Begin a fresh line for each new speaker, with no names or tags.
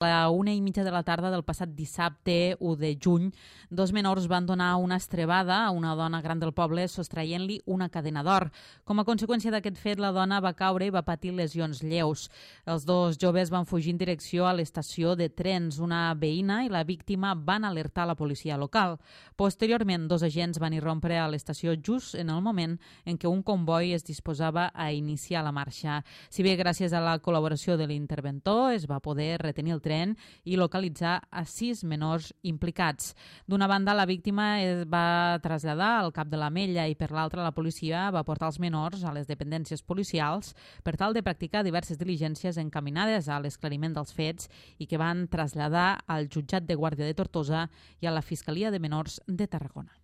A la 1:30 de la tarda del passat dissabte 1 de juny, dos menors van donar una estrebada a una dona gran del poble sostraient-li una cadena d'or. Com a conseqüència d'aquest fet, la dona va caure i va patir lesions lleus. Els dos joves van fugir en direcció a l'estació de trens. Una veïna i la víctima van alertar la policia local. Posteriorment, dos agents van irrompre a l'estació just en el moment en què un comboi es disposava a iniciar la marxa. Si bé gràcies a la col·laboració de l'interventor es va poder retenir el tren i localitzar a 6 menors implicats. D'una banda, la víctima es va traslladar al cap de l'Ametlla i per l'altra la policia va portar els menors a les dependències policials per tal de practicar diverses diligències encaminades a l'esclariment dels fets i que van traslladar al jutjat de Guàrdia de Tortosa i a la Fiscalia de Menors de Tarragona.